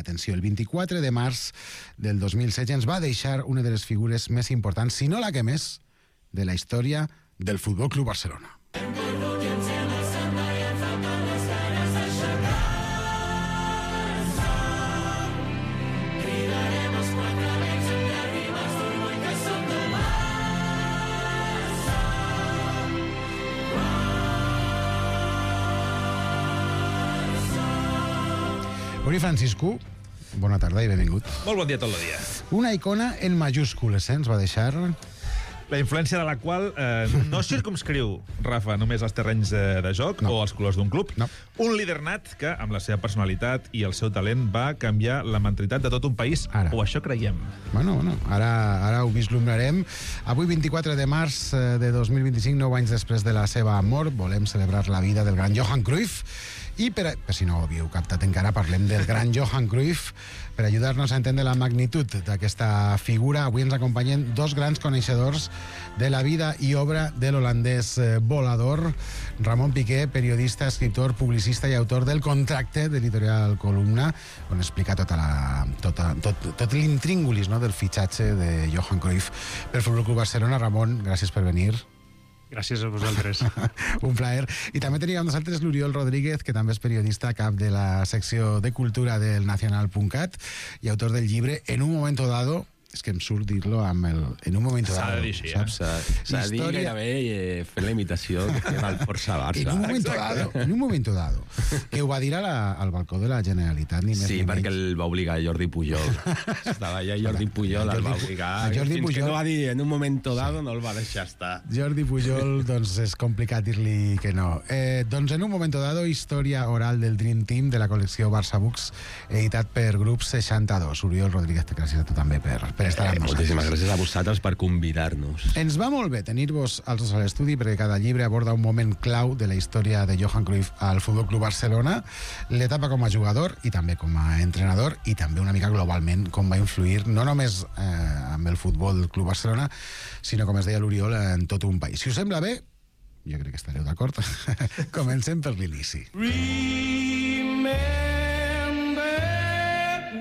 atenció, el 24 de març del 2016 ens va deixar una de les figures més importants, si no la que més, de la història del Futbol Club Barcelona. Uri Francisco, bona tarda i benvingut. Molt bon dia tot el dia. Una icona en majúscules, ens va deixar... La influència de la qual no circumscriu, Rafa, només els terrenys de joc o els colors d'un club. No. Un líder nat que, amb la seva personalitat i el seu talent, va canviar la mentalitat de tot un país, o això creiem. Bueno, ara ho vislumbrarem. Avui, 24 de març de 2025, 9 anys després de la seva mort, volem celebrar la vida del gran Johan Cruyff. I per si no ho havíeu captat encara, parlem del gran Johan Cruyff. Per ajudar-nos a entendre la magnitud d'aquesta figura, avui ens acompanyen dos grans coneixedors de la vida i obra de l'holandès volador, Ramon Piqué, periodista, escriptor, publicista i autor del Contracte de l'editorial Columna, on explica tot l'intríngulis, no, del fitxatge de Johan Cruyff per Futbol Club Barcelona. Ramon, gràcies per venir. Gràcies a vosaltres. Un plaer. I també teníem amb nosaltres l'Oriol Rodríguez, que també és periodista, cap de la secció de cultura del Nacional.cat i autor del llibre En un momento dado. És que em surt dir-lo amb el... En un moment dado. S'ha de dir així, saps? S'ha de dir gairebé fent la imitació que va al Força Barça. En un moment dado. Que ho va dir al balcó de la Generalitat, ni més sí, ni perquè menys. el va obligar Jordi Pujol. Estava allà Jordi Pujol, el va obligar. Fins que no va dir en un moment dado, no el va deixar estar. Jordi Pujol, doncs és complicat dir-li que no. Doncs en un moment dado, història oral del Dream Team de la col·lecció Barça Books, editat per Grup 62. Oriol Rodríguez, gràcies a tu també per estar amb nosaltres. Moltíssimes gràcies a vosaltres per convidar-nos. Ens va molt bé tenir-vos als dos a l'estudi, perquè cada llibre aborda un moment clau de la història de Johan Cruyff al Futbol Club Barcelona, l'etapa com a jugador i també com a entrenador, i també una mica globalment com va influir no només amb el Futbol Club Barcelona, sinó, com es deia l'Oriol, en tot un país. Si us sembla bé, jo crec que estareu d'acord, comencem per l'inici. Remember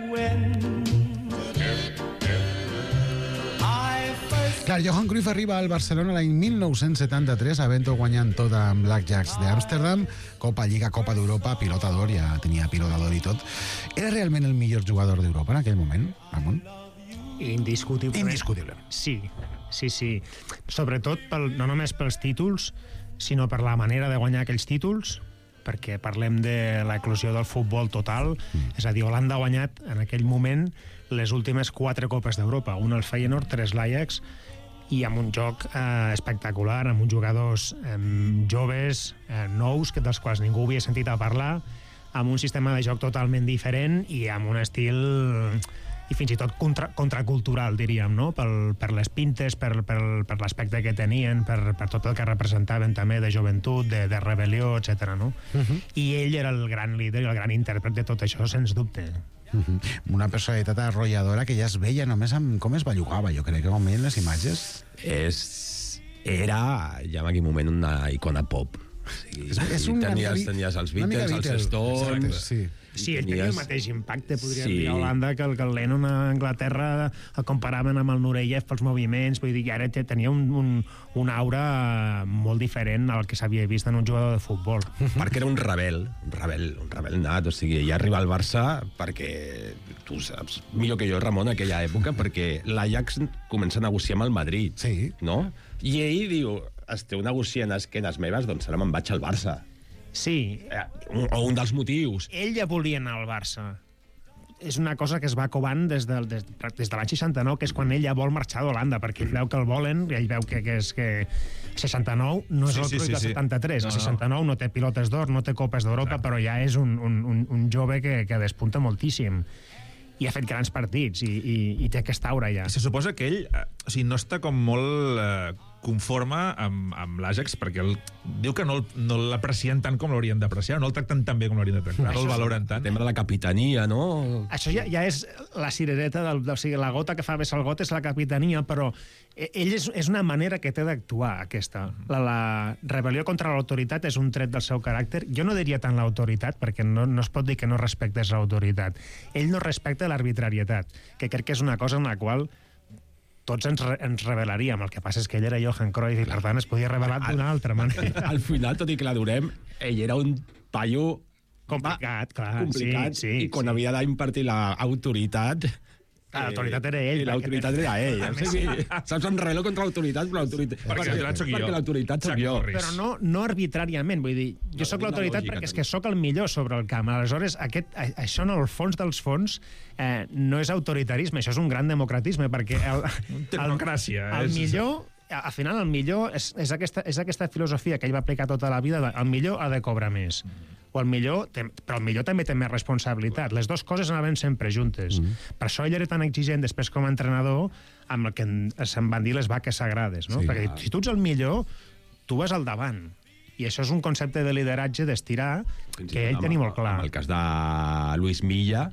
when Clar, Johan Cruyff arriba al Barcelona l'any 1973, havent-ho guanyant tot amb l'Ajax d'Amsterdam, Copa Lliga, Copa d'Europa, pilota d'or, ja tenia pilota d'or i tot. Era realment el millor jugador d'Europa en aquell moment, Ramon? Indiscutiblement. Indiscutiblement. Sí. Sobretot, no només pels títols, sinó per la manera de guanyar aquells títols, perquè parlem de l'eclosió del futbol total, és a dir, Holanda ha guanyat en aquell moment les últimes 4 Copes d'Europa, un al Feyenoord, 3 l'Ajax, i amb un joc espectacular, amb uns jugadors joves, nous, dels quals ningú havia sentit a parlar, amb un sistema de joc totalment diferent i amb un estil i fins i tot contracultural, diríem, no? Per les pintes, per l'aspecte que tenien, per tot el que representaven també de joventut, de rebel·lió, etc. No? I ell era el gran líder i el gran intèrpret de tot això, sens dubte. Una personalitat arrolladora que ja es veia només amb com es bellugava, jo crec que com veien les imatges. Era ja en aquell moment una icona pop. És un tenies els Beatles, els Stones... Sí, ell tenia el mateix impacte, podríem dir, a Holanda, que el Lennon a Anglaterra el comparaven amb el Nureyev pels moviments, vull dir, ara tenia un aura molt diferent al que s'havia vist en un jugador de futbol. Perquè era un rebel nat, o sigui, ella arriba al Barça perquè, tu saps millor que jo, Ramon, en aquella època, perquè l'Ajax comença a negociar amb el Madrid, no? I ell diu, esteu negociant a esquenes meves, doncs ara me'n vaig al Barça. Sí. O un dels motius. Ell ja volia anar al Barça. És una cosa que es va covant des de l'any 69, que és quan ell ja vol marxar d'Holanda, perquè ell veu que el volen, i ell veu que 69 no és el Cruyff del 73. El 69 no té pilotes d'or, no té Copes d'Europa, però ja és un jove que despunta moltíssim. I ha fet grans partits, i té aquesta aura ja. Se suposa que ell no està com molt conforme amb l'Ajax, perquè diu que no l'aprecien tant com l'haurien d'apreciar, no el tracten tan bé com l'haurien de tractar, no el valoren tant. El tema de la capitania, no? Això ja és la cirereta, o sigui, la gota que fa vessar el got és la capitania, però ell és una manera que té d'actuar, aquesta. La rebel·lió contra l'autoritat és un tret del seu caràcter. Jo no diria tant l'autoritat, perquè no es pot dir que no respectes l'autoritat. Ell no respecta l'arbitrarietat, que crec que és una cosa en la qual tots ens rebel·laríem. El que passa és que ell era Johan Cruyff i, per tant, es podia rebel·lar d'una altra manera. Al final, tot i que l'adorem, ell era un paio complicat, clar. Complicat, sí, i quan havia d'impartir l'autoritat... L'autoritat era ell. I l'autoritat era ell. O sigui, saps, em rebel·lo contra l'autoritat, però l'autoritat soc jo. Però no arbitràriament, vull dir, jo sóc l'autoritat perquè és que sóc el millor sobre el camp. Aleshores, això en el fons dels fons no és autoritarisme, això és un gran democratisme, perquè democràcia. El millor, al final, el millor és aquesta filosofia que ell va aplicar tota la vida, el millor ha de cobrar més. Però el millor també té més responsabilitat. Les dues coses anaven sempre juntes. Per això ell era tan exigent després com a entrenador amb el que se'n van dir les vaques sagrades, no? Perquè si tu ets el millor, tu vas al davant. I això és un concepte de lideratge, d'estirar, que ell tenia molt clar. En el cas de Luis Milla,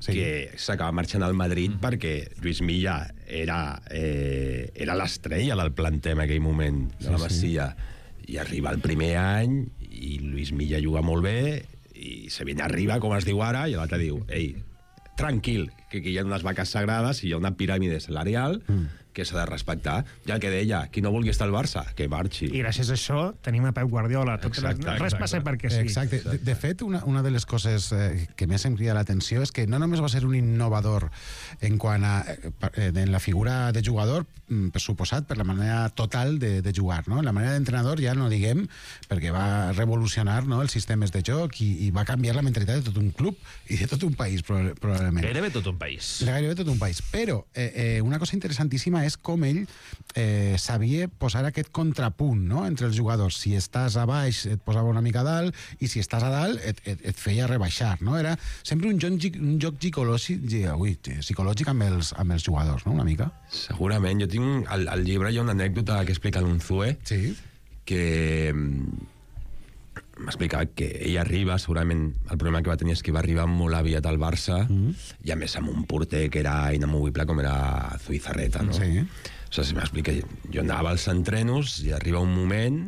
que s'acaba marxant al Madrid perquè Luis Milla era l'estrella del planter en aquell moment, de la Masia. I arriba el primer any i Luis Milla juga molt bé i se viene arriba, com es diu ara, i l'altre diu, ei, tranquil, que aquí hi ha unes vaques sagrades i hi ha una piràmide salarial que s'ha de respectar. I el que deia, qui no vulgui estar al Barça, que marxi. I gràcies a això tenim a Pep Guardiola. Res passa perquè sí. Exacte. De fet, una de les coses que més em crida l'atenció és que no només va ser un innovador en quant a en la figura de jugador, per suposat, per la manera total de jugar, no? La manera d'entrenador ja no diguem, perquè va revolucionar, no, els sistemes de joc i va canviar la mentalitat de tot un club i de tot un país, probablement. Gairebé tot un país. Gairebé tot un país. Però una cosa interessantíssima és com ell sabia posar aquest contrapunt, no?, entre els jugadors. Si estàs a baix et posava una mica a dalt i si estàs a dalt et feia rebaixar, no? Era sempre un joc psicològic amb els jugadors, no?, una mica. Segurament. Jo tinc al llibre hi ha una anècdota que explica l'Unzue, que m'explicava que ell arriba, segurament el problema que va tenir és que va arribar molt aviat al Barça i a més amb un porter que era inamovible com era Zubizarreta, no? Sí. O sigui, m'explica, jo anava als entrenos i arriba un moment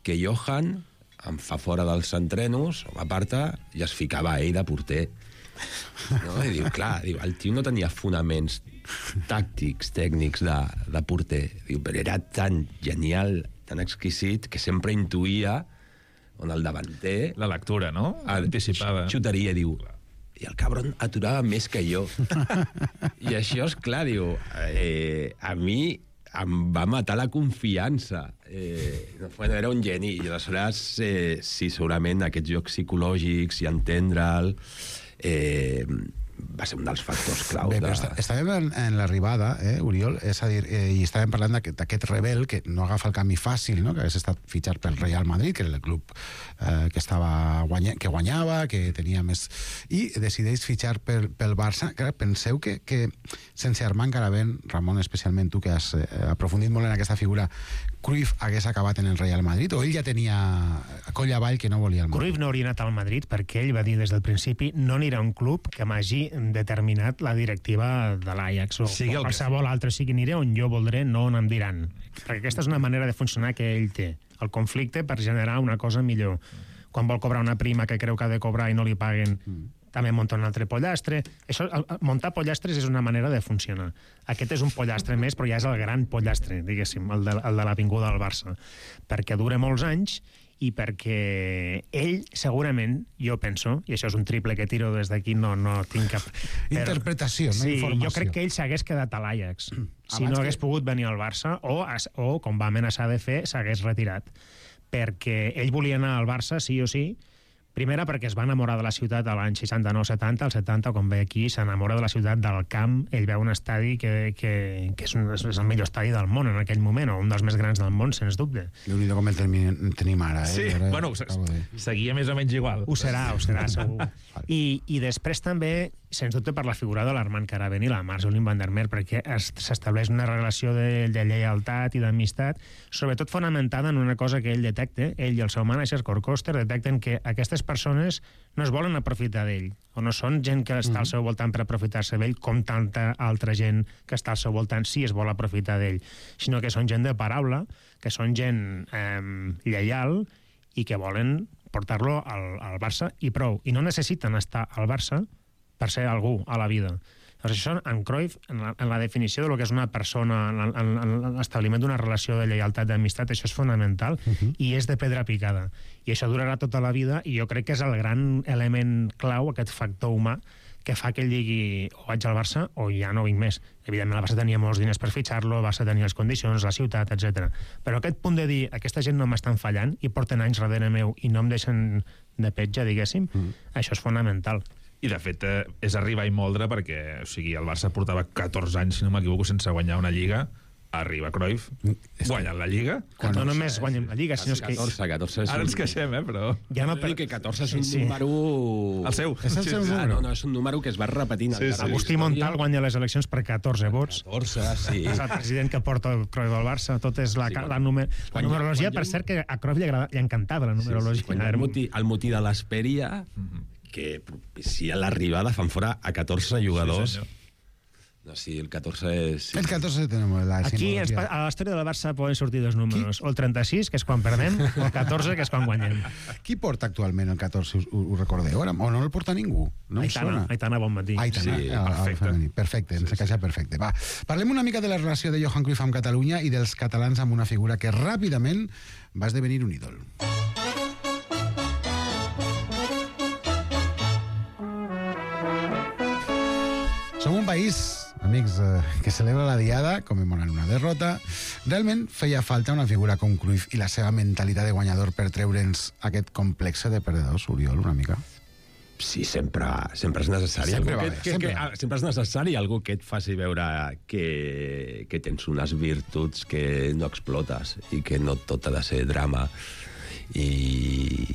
que Johan em fa fora dels entrenos, m'aparta i es ficava ell de porter. No? I diu, clar, el tio no tenia fonaments tàctics, tècnics de porter. Diu, però era tan genial, tan exquisit, que sempre intuïa on el davanter... La lectura, no? Anticipada. Xutaria, diu, i el cabron aturava més que jo. I això, és clar, diu, a mi em va matar la confiança. Bueno, era un geni. I aleshores, sí, segurament aquests jocs psicològics i entendre'l va ser un dels factors claus. Bé, però estàvem en l'arribada, Oriol, és a dir, i estàvem parlant d'aquest rebel que no agafa el camí fàcil, no?, que hagués estat fitxat pel Real Madrid, que era el club que guanyava, que tenia més... I decideix fitxar pel Barça. Clar, penseu que sense Armand Garavent, Ramon, especialment tu, que has aprofundit molt en aquesta figura, Cruyff hagués acabat en el Real Madrid, o ell ja tenia coll avall que no volia el Madrid? Cruyff no hauria anat al Madrid perquè ell va dir des del principi no anirà a un club que m'hagi determinat la directiva de l'Ajax o qualsevol altre, sigui, aniré on jo voldré, no on em diran. Perquè aquesta és una manera de funcionar que ell té. El conflicte per generar una cosa millor. Quan vol cobrar una prima que creu que ha de cobrar i no li paguen, també munta un altre pollastre. Això, muntar pollastres és una manera de funcionar. Aquest és un pollastre més, però ja és el gran pollastre, diguéssim, el de l'avinguda del Barça. Perquè dura molts anys i perquè ell, segurament, jo penso, i això és un triple que tiro des d'aquí, no tinc cap... Interpretació, no informació. Jo crec que ell s'hagués quedat a l'Ajax. Si no hagués pogut venir al Barça, o com va amenaçar de fer, s'hagués retirat. Perquè ell volia anar al Barça, sí o sí. Primera, perquè es va enamorar de la ciutat a l'any 69-70, al 70, quan ve aquí, s'enamora de la ciutat, del camp. Ell veu un estadi que és el millor estadi del món en aquell moment, o un dels més grans del món, sens dubte. Déu-n'hi-do com el tenim ara, Sí, bueno, seguia més o menys igual. Ho serà, segur. I després també sens dubte per la figura de l'Armand Caravent i la Marjolin van der Meer, perquè s'estableix una relació de lleialtat i d'amistat, sobretot fonamentada en una cosa que ell detecta, ell i el seu manager, Cor Coster, detecten que aquestes persones no es volen aprofitar d'ell, o no són gent que està al seu voltant per aprofitar-se d'ell, com tanta altra gent que està al seu voltant sí es vol aprofitar d'ell, sinó que són gent de paraula, que són gent lleial i que volen portar-lo al Barça i prou. I no necessiten estar al Barça per ser algú a la vida. Llavors, això, en Cruyff, en la definició de lo que és una persona, en l'establiment d'una relació de lleialtat, d'amistat, això és fonamental i és de pedra picada. I això durarà tota la vida i jo crec que és el gran element clau, aquest factor humà, que fa que ell digui o vaig al Barça o ja no vinc més. Evidentment, el Barça tenia molts diners per fitxar-lo, el Barça tenia les condicions, la ciutat, etc. Però aquest punt de dir, aquesta gent no m'estan fallant i porten anys darrere meu i no em deixen de petja, diguéssim, això és fonamental. I, de fet, és arribar i moldre perquè, o sigui, el Barça portava 14 anys, si no m'equivoco, sense guanyar una Lliga. Arriba Cruyff, guanyant la Lliga. No només guanyem la Lliga, sinó que... 14 és Ara ens queixem, però... Ja no, que 14 és un número... El seu. És el seu número. No, és un número que es va repetint. Agustí Montal guanya les eleccions per 14 vots. 14, sí. És el president que porta el Cruyff al Barça. Tot és la numerologia, per cert, que a Cruyff li encantava la numerologia. Quan el motí de l'Hesperia, que propicia l'arribada, fan fora a 14 jugadors. No, sí, el 14 és... El 14 tenim la Aquí, simbologia. a la història del Barça poden sortir dos números. O el 36, que és quan perdem, o el 14, que és quan guanyem. Qui porta actualment el 14, ho recordeu? O no el porta ningú? No em sona. Aitana, bon matí. Aitana, Sí, perfecte. Perfecte, ens encaixa perfecte. Va, parlem una mica de la relació de Johan Cruyff amb Catalunya i dels catalans amb una figura que ràpidament va esdevenir un ídol. Som un país, amics, que celebra la diada commemorant una derrota. Realment feia falta una figura com Cruyff i la seva mentalitat de guanyador per treure'ns aquest complexe de perdedors, Oriol, una mica? Sí, sempre és necessari. Sempre va bé, sempre. Sempre és necessari algú que et faci veure que tens unes virtuts que no explotes i que no tot ha de ser drama i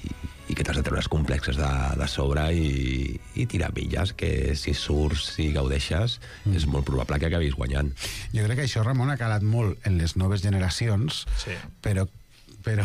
que t'has de treure els complexes de sobre i tirar milles, que si surts, si gaudeixes, és molt probable que acabis guanyant. Jo crec que això, Ramon, ha calat molt en les noves generacions, Sí. però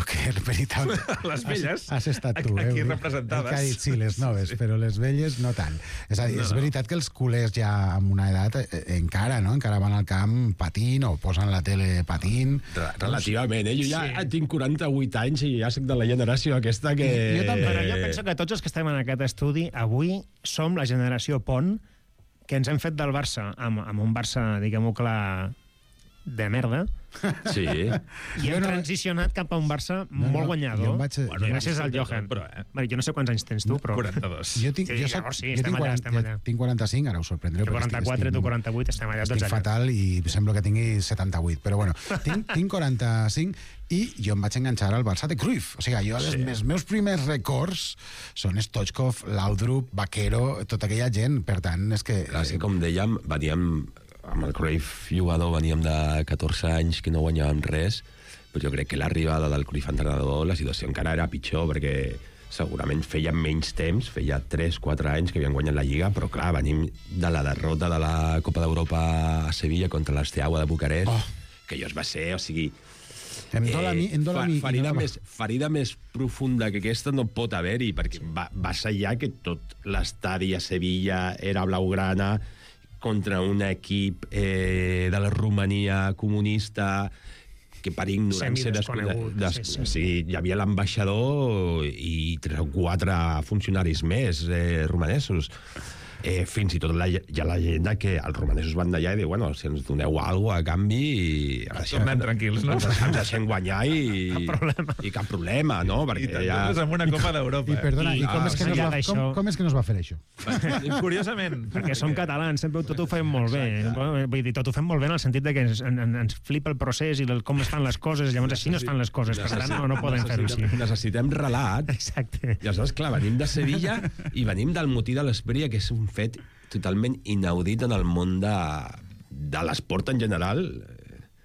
que en veritat... Les velles, has estat tu, aquí Uri. representades. Que ha dit, sí, les noves, però les velles no tant. És a dir, és veritat que els culers ja amb una edat encara van al camp patint o posen la tele patint. Relativament, Jo ja tinc 48 anys i ja soc de la generació aquesta que... Jo també, però jo penso que tots els que estem en aquest estudi avui som la generació pont que ens hem fet del Barça amb un Barça, diguem-ho clar, de merda, Sí. i hem transicionat cap a un Barça molt guanyador, gràcies al Johan. Jo no sé quants anys tens tu, però... 42. Jo tinc 45, ara us sorprendreu. Jo 44, tu 48, estem allà tots Estic allà. fatal i sembla que tingui 78, però bueno, tinc 45 i jo em vaig enganxar al Barça de Cruyff. O sigui, els meus primers records són Stoichkov, Laudrup, Vaquero, tota aquella gent, per tant, és que... Clar, sí, com dèiem, veníem amb el Cruyff jugador, veníem de 14 anys que no guanyàvem res, però jo crec que l'arribada del Cruyff entrenador, la situació encara era pitjor, perquè segurament feia menys temps, feia 3-4 anys que havien guanyat la Lliga, però clar, venim de la derrota de la Copa d'Europa a Sevilla contra l'Steaua de Bucarest, que allò es va ser, o sigui... Ferida més profunda que aquesta no pot haver-hi, perquè va ser ja que tot l'estadi a Sevilla era blaugrana contra un equip de la Romania comunista que per ignorància hi havia l'ambaixador i 3 o 4 funcionaris més romanesos. Fins i tot hi ha la llegenda que els romanesos van d'allà i diuen, bueno, si ens doneu alguna cosa a canvi... Tornem tranquils, no? Ens deixem guanyar i cap problema, no? I també amb una Copa d'Europa. I perdona, com és que no es va fer això? Curiosament. Perquè som catalans, sempre tot ho fem molt bé. Vull dir, tot ho fem molt bé en el sentit de que ens flipa el procés i com es fan les coses, llavors així no es fan les coses, per tant no podem fer-ho així. Necessitem relat. Exacte. I aleshores, clar, venim de Sevilla i venim del motí de l'Hesperia, que és un fet totalment inaudit en el món de l'esport en general.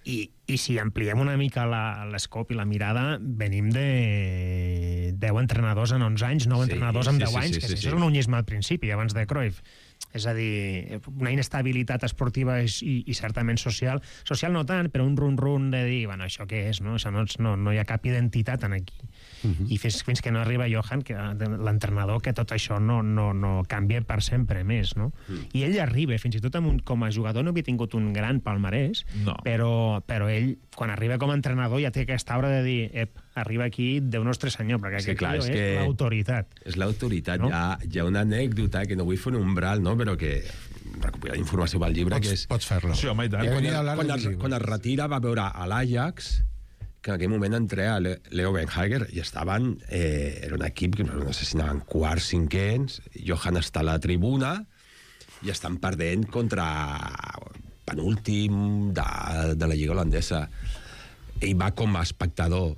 I I si ampliem una mica l'escop i la mirada, venim de 10 entrenadors en 11 anys, 9 entrenadors en 10 anys, que això és un unyisme al principi, abans de Cruyff. És a dir, una inestabilitat esportiva i certament social. Social no tant, però un run-run de dir, bueno, això què és, no? No hi ha cap identitat en aquí. I fins que no arriba Johan, l'entrenador, que tot això no canvia per sempre més, no? I ell arriba, fins i tot com a jugador no havia tingut un gran palmarès, però ell, quan arriba com a entrenador, ja té aquesta obra de dir, arriba aquí, Déu nostre senyor, perquè aquest tio és l'autoritat. És l'autoritat. Hi ha una anècdota que no vull fer un umbral, no? Però que recopilar informació pel llibre, que és... Pots fer-lo. Sí, home, i tant. Quan es retira va veure a l'Ajax, que en aquell moment entrea Leo Benhager, i estaven... era un equip que no sé si anaven quarts, cinquens, Johan està a la tribuna i estan perdent contra penúltim de la Lliga holandesa. Ell va com a espectador.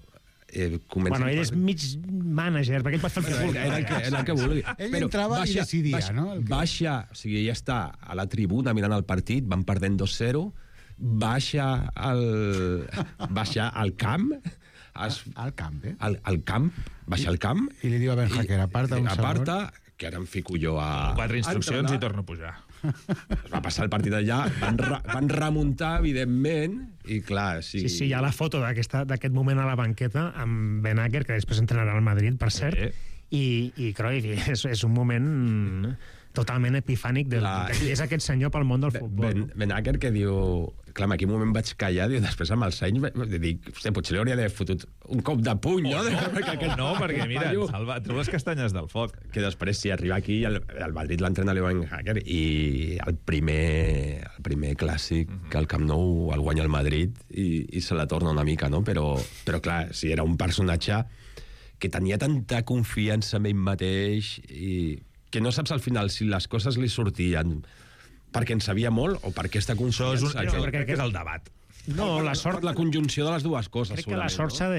Bueno, ell és mig mànager, perquè ell pot fer el que vulgui. Era el que vulgui. Ell entrava i decidia, no? Baixa, o sigui, ella està a la tribuna mirant el partit, van perdent 2-0, baixa al camp, al camp, al camp, baixa al camp, i li diu a Benhager, aparta, que ara em fico jo a... 4 instruccions i torno a pujar. Es va passar el partit allà, van remuntar, evidentment, i clar... Sí, hi ha la foto d'aquest moment a la banqueta amb Ben-Hacker, que després entrenarà al Madrid, per cert, i Cruyff, és un moment totalment epifànic és aquest senyor pel món del futbol. Ben-Hacker, que diu... Clar, en aquell moment vaig callar, diu, després amb els anys dic, potser li hauria d'haver fotut un cop de puny, no? No, perquè mira, Salva, treu les castanyes del foc. Que després, si arriba aquí, el Madrid l'entrena Leo Ben-Hacker, i el primer clàssic que al Camp Nou el guanya el Madrid i se la torna una mica, no? Però clar, si era un personatge que tenia tanta confiança en ell mateix i que no saps al final si les coses li sortien perquè en sabia molt o per aquesta confiança. Crec que és el debat. No, la sort... La conjunció de les dues coses. Crec que la sort s'ha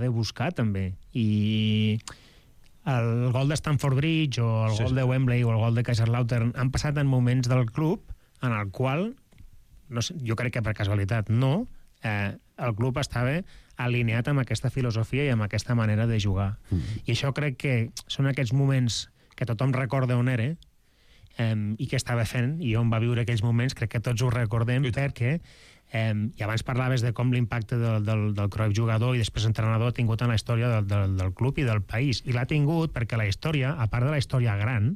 de buscar, també. I el gol de Stamford Bridge o el gol de Wembley o el gol de Kaiserslautern han passat en moments del club en el qual, no sé, jo crec que per casualitat no, el club estava alineat amb aquesta filosofia i amb aquesta manera de jugar. I això crec que són aquests moments que tothom recorda on era, i què estava fent i on va viure aquells moments, crec que tots ho recordem perquè, i abans parlaves de com l'impacte del Cruyff jugador i després entrenador ha tingut en la història del club i del país, i l'ha tingut perquè la història, a part de la història gran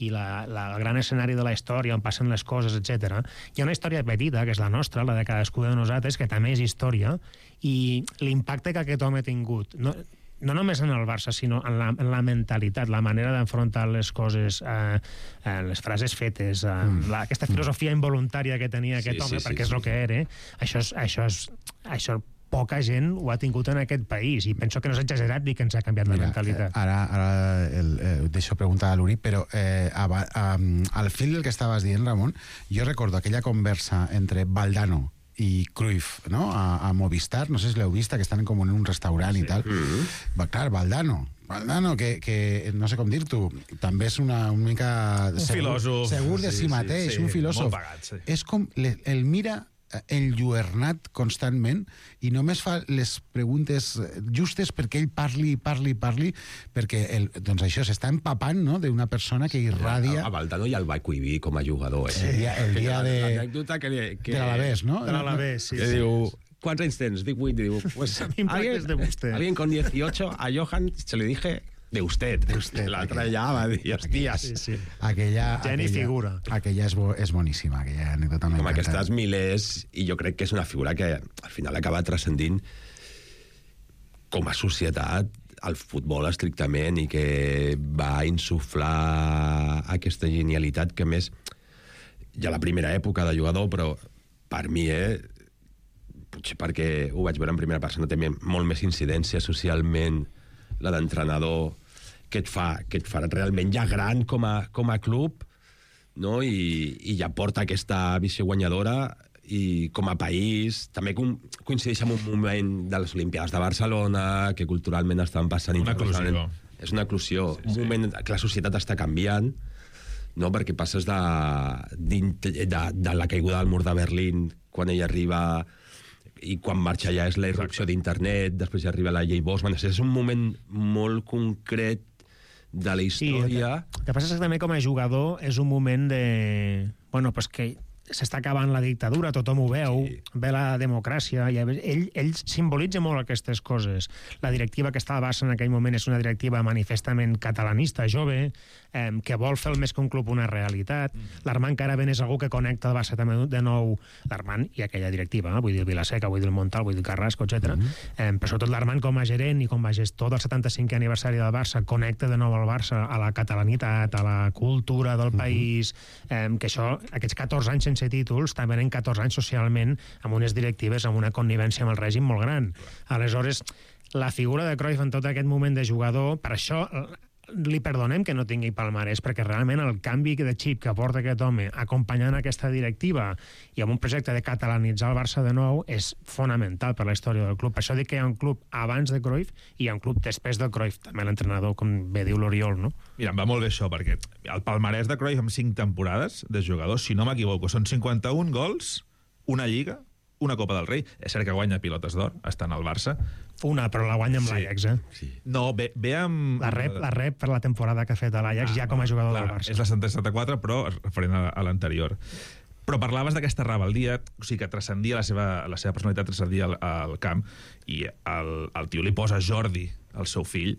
i el gran escenari de la història on passen les coses, etc., hi ha una història petita, que és la nostra, la de cadascú de nosaltres, que també és història, i l'impacte que aquest home ha tingut no només en el Barça, sinó en la mentalitat, la manera d'enfrontar les coses, les frases fetes, aquesta filosofia involuntària que tenia aquest home, perquè és el que era, això poca gent ho ha tingut en aquest país, i penso que no és exagerat dir que ens ha canviat la mentalitat. Ara deixo preguntar a l'Uri, però al fil del que estaves dient, Ramon, jo recordo aquella conversa entre Valdano i Cruyff, no? A Movistar, no sé si l'heu vist, que estan com en un restaurant i tal. Clar, Valdano, que no sé com dir-t'ho, també és una mica... Un filòsof. Segur de si mateix, un filòsof. Molt pagat, sí. És com, el mira enlluernat constantment i només fa les preguntes justes perquè ell parli, perquè doncs això s'està empapant, no?, d'una persona que irradia... A Valdano ja el va cohibir com a jugador, el dia de... L'anècdota que l'Alavés, no? De l'Alavés, sí. Que diu, ¿cuántos anys tens? Dic 8, diu, pues alguien con 18, a Johan se le dije... De usted. L'altre ja va dir, hòsties. Sí. Aquella figura. Aquella és boníssima, aquella anècdota. Com aquestes milers, i jo crec que és una figura que al final acaba transcendint com a societat el futbol estrictament, i que va insuflar aquesta genialitat que més ja la primera època de jugador, però per mi, potser perquè ho vaig veure en primera persona, té molt més incidència socialment la d'entrenador, que et fa realment ja gran com a club, no? I ja porta aquesta visió guanyadora, i com a país també coincideix amb un moment de les Olimpiades de Barcelona, que culturalment estan passant... Una eclosió. És una eclosió, un moment que la societat està canviant, no? Perquè passes de la caiguda del mur de Berlín, quan ell arriba, i quan marxa ja és la irrupció d'internet, després ja arriba la llei Bosman. És un moment molt concret de la història. Sí, el que passa és que també com a jugador és un moment de... Bueno, pues que s'està acabant la dictadura, tothom ho veu, ve la democràcia, i ell simbolitza molt aquestes coses. La directiva que està al Barça en aquell moment és una directiva manifestament catalanista, jove, que vol fer el més que un club una realitat. L'Armand Caravent és algú que connecta el Barça també de nou, l'Armand i aquella directiva, vull dir el Vilaseca, vull dir el Montal, vull dir el Carrasco, etc. Però sobretot l'Armand com a gerent i com a gestor del 75è aniversari del Barça connecta de nou el Barça a la catalanitat, a la cultura del país, que això, aquests 14 anys sense títols, també eren 14 anys socialment amb unes directives, amb una connivència amb el règim molt gran. Aleshores, la figura de Cruyff en tot aquest moment de jugador, per això li perdonem que no tingui palmarès, perquè realment el canvi de xip que aporta aquest home acompanyant aquesta directiva i amb un projecte de catalanitzar el Barça de nou és fonamental per la història del club. Per això dic que hi ha un club abans de Cruyff i hi ha un club després del Cruyff, també l'entrenador, com bé diu l'Oriol, no? Mira, em va molt bé això, perquè el palmarès de Cruyff amb 5 temporades de jugador, si no m'equivoco, són 51 gols, una Lliga, una Copa del Rei. És cert que guanya pilotes d'or, estant al Barça. Una, però la guanya amb l'Ajax, Sí. No, ve amb... La rep per la temporada que ha fet a l'Ajax ja com a jugador del Barça. És la 74, però referent a l'anterior. Però parlaves d'aquesta rebel·lia, o sigui, que transcendia la seva personalitat, transcendia al camp, i el tio li posa Jordi, el seu fill,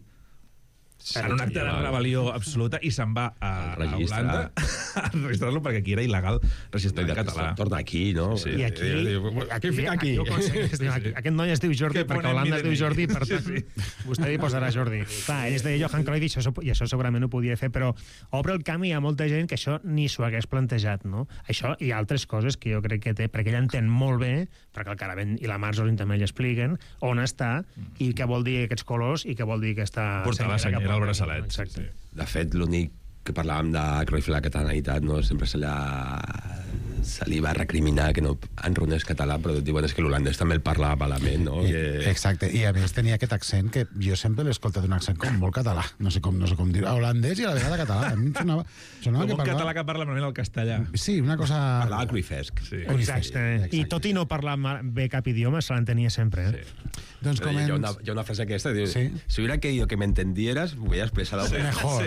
en un acte de rebel·lió absoluta, i se'n va a Holanda a registrar-lo, perquè aquí era il·legal registrar en català. Torna aquí, no? Sí. I aquí. Aquest noi es diu Jordi, perquè a Holanda es diu Jordi, per tant, vostè hi posarà Jordi. Clar, ell es deia Johan Cruyff i això segurament ho podia fer, però obre el camp i hi ha molta gent que això ni s'ho hagués plantejat, no? Això i altres coses que jo crec que té, perquè ell entén molt bé, perquè el Caravent i la Marzolin també li expliquen on està i què vol dir aquests colors i què vol dir aquesta... Portar la senyera al braçalet. Exacte. De fet, l'únic que parlàvem de Cruyff i la catalanitat, no? Sempre se li va recriminar que no enronés català, però diuen és que l'holandès també el parlava malament, no? Exacte, i a més tenia aquest accent que jo sempre l'he escoltat un accent com molt català, no sé com dir, holandès i a la vegada català. A mi sonava com un català que parla malament el castellà. Sí, una cosa... Parlava cruifesc. Sí. Exacte. I tot i no parlar bé cap idioma, se l'entenia sempre. Doncs com hi ha una frase aquesta, diu, si hubiera querido que me entendieras, me hubiera expresado mejor.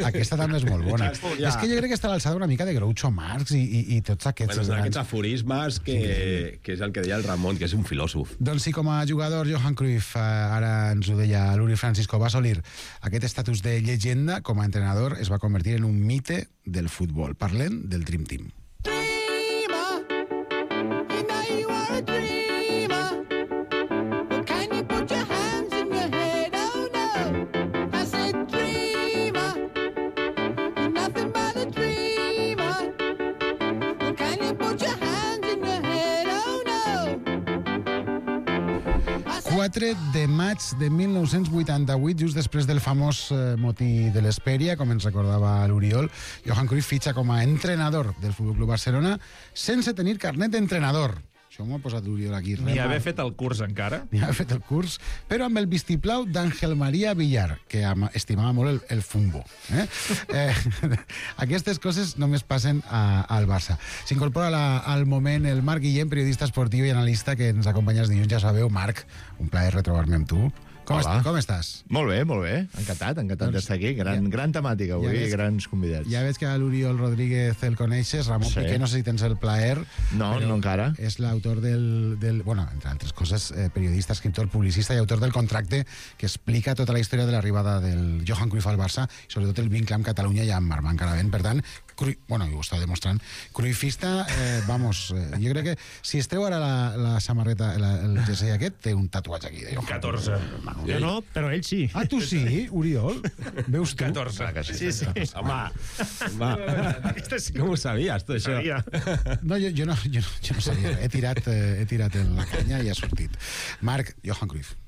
Aquesta també és molt bona. És que jo crec que està a l'alçada una mica de Groucho Marx i tots aquests... Bueno, aquests aforismes que és el que deia el Ramon, que és un filòsof. Doncs sí, com a jugador, Johan Cruyff, ara ens ho deia l'Uri Francisco, va assolir aquest estatus de llegenda. Com a entrenador es va convertir en un mite del futbol. Parlem del Dream Team. de maig de 1988, just després del famós motí de l'Hespèria, com ens recordava l'Oriol, Johan Cruyff fitxa com a entrenador del Futbol Club Barcelona sense tenir carnet d'entrenador. Això m'ho ha posat l'Oriol aquí. Ni haver fet el curs encara. Ni haver fet el curs, però amb el vistiplau d'Àngel Maria Villar, que estimava molt el fumbo. Aquestes coses només passen al Barça. S'incorpora al moment el Marc Guillem, periodista esportiu i analista, que ens acompanya els dilluns. Ja sabeu, Marc, un plaer retrobar-me amb tu. Com estàs? Molt bé, molt bé. Encantat d'estar aquí. Gran temàtica avui i grans convidats. Ja veig que a l'Oriol Rodríguez el coneixes. Ramon Piqué, no sé si tens el plaer. No encara. És l'autor bueno, entre altres coses, periodista, escriptor, publicista i autor del contracte que explica tota la història de l'arribada del Johan Cruyff al Barça i sobretot el vincle amb Catalunya i amb Armand Caravent. Per tant, bueno, ho està demostrant, cruifista, jo crec que si es treu ara la samarreta, el jersei aquest, té un tatuatge aquí. 14. Jo no, però ell sí. Ah, tu sí, Oriol? Veus tu? 14. Sí. Home. Com ho sabies, tu, això? No, jo no sabia. He tirat en la canya i ha sortit. Marc, Johan Cruyff.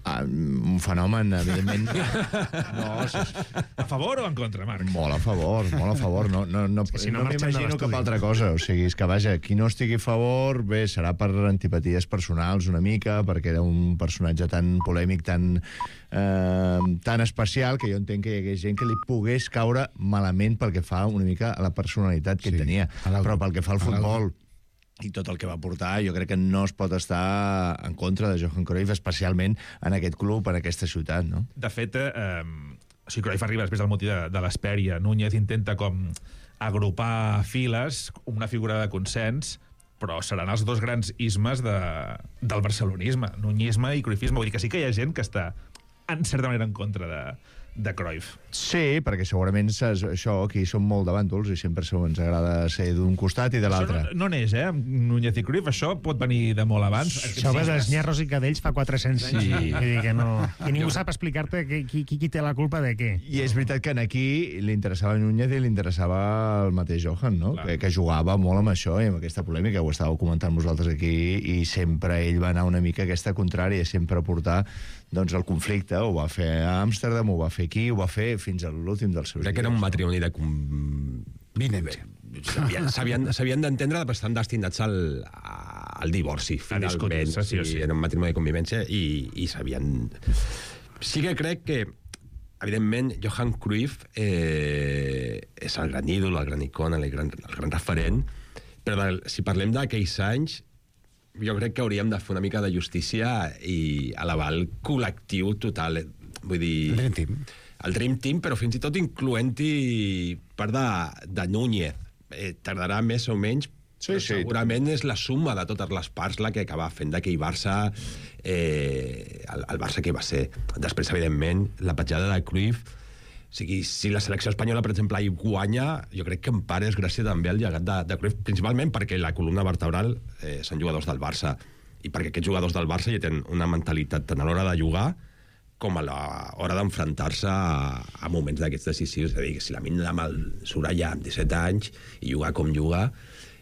Un fenomen, evidentment. A favor o en contra, Marc? Molt a favor. No m'imagino cap altra cosa. O sigui, és que, vaja, qui no estigui a favor, bé, serà per antipaties personals una mica, perquè era un personatge tan polèmic, tan especial, que jo entenc que hi hagués gent que li pogués caure malament pel que fa una mica a la personalitat que tenia. Però pel que fa al futbol, i tot el que va portar, jo crec que no es pot estar en contra de Johan Cruyff, especialment en aquest club, en aquesta ciutat, no? De fet, Cruyff arriba després del motí de l'Hespèria. Núñez intenta com agrupar files, una figura de consens, però seran els dos grans ismes del barcelonisme, nuñisme i cruyffisme. Vull dir que sí que hi ha gent que està, en certa manera, en contra de Cruyff. Sí, perquè segurament això, aquí som molt de bàndols i sempre ens agrada ser d'un costat i de l'altre. Això no neix, amb Núñez i Cruyff, això pot venir de molt abans. Això ve dels nyarros i cadells fa 400 anys. Sí. Vull dir que no... I ningú sap explicar-te qui té la culpa de què. I és veritat que aquí li interessava Núñez i li interessava el mateix Johan, no? Que jugava molt amb això i amb aquesta polèmica, ho estàveu comentant vosaltres aquí, i sempre ell va anar una mica aquesta contrària, sempre a portar doncs el conflicte. Ho va fer a Amsterdam, ho va fer aquí, ho va fer fins a l'últim dels seus dies. Crec que era un matrimoni de convivència. S'havien d'entendre, però estan destinats al divorci, finalment. Sí. Era un matrimoni de convivència i s'havien... Sí que crec que, evidentment, Johan Cruyff és el gran ídol, el gran icona, el gran referent, però si parlem d'aquells anys, jo crec que hauríem de fer una mica de justícia i elevar el col·lectiu total. Vull dir... El Dream Team. El Dream Team, però fins i tot incloent-hi part de Núñez. Tardarà més o menys, però segurament és la suma de totes les parts la que acaba fent d'aquell Barça el Barça que va ser. Després, evidentment, la petjada de Cruyff. O sigui, si la selecció espanyola, per exemple, hi guanya, jo crec que en part és gràcies també al llegat de Cruyff, principalment perquè la columna vertebral són jugadors del Barça, i perquè aquests jugadors del Barça ja tenen una mentalitat tant a l'hora de jugar com a l'hora d'enfrontar-se a moments d'aquests decisius. És a dir, que si la Lamine Yamal surt allà amb 17 anys i juga com juga,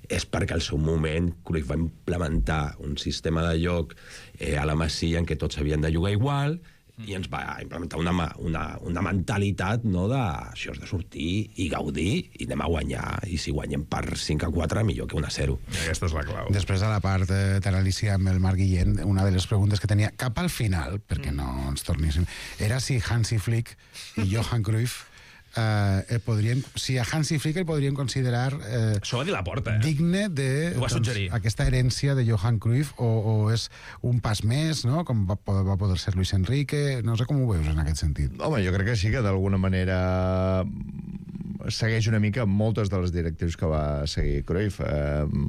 és perquè al seu moment Cruyff va implementar un sistema de joc a la Masia en què tots havien de jugar igual, i ens va implementar una mentalitat, no, de això és de sortir i gaudir i anem a guanyar, i si guanyem per 5-4 millor que 1-0. Aquesta és la clau. Després de la part d'anàlisi amb el Marc Guillén, una de les preguntes que tenia cap al final, perquè no ens torníssim, era si Hansi Flick i Johan Cruyff si a Hansi Flick el podrien considerar això va dir Laporta, digne de aquesta herència de Johan Cruyff, o és un pas més, no? Com va poder ser Luis Enrique. No sé com ho veus en aquest sentit. Home, jo crec que sí que d'alguna manera segueix una mica moltes de les directrius que va seguir Cruyff.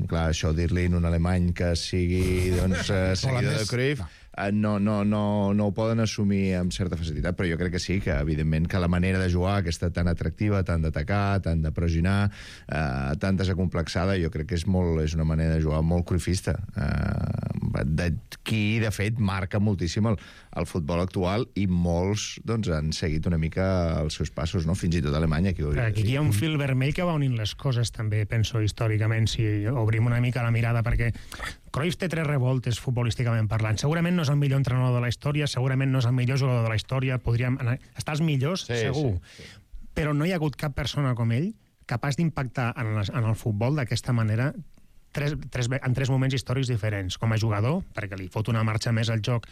Clar, això dir-li en un alemany que sigui seguidor de Cruyff no ho poden assumir amb certa facilitat, però jo crec que sí, que evidentment que la manera de jugar, que està tan atractiva, tant d'atacar, tant de pressionar, tan desacomplexada, jo crec que és una manera de jugar molt cruifista, qui de fet marca moltíssim el futbol actual, i molts doncs han seguit una mica els seus passos, no? Fins i tot a Alemanya. Aquí hi ha un fil vermell que va unint les coses també, penso, històricament, si obrim una mica la mirada, perquè Cruyff té 3 revoltes futbolísticament parlant. Segurament no és el millor entrenador de la història, segurament no és el millor jugador de la història, podríem estar els millors, segur. Sí. Però no hi ha hagut cap persona com ell capaç d'impactar en el futbol d'aquesta manera en 3 moments històrics diferents. Com a jugador, perquè li fot una marxa més al joc,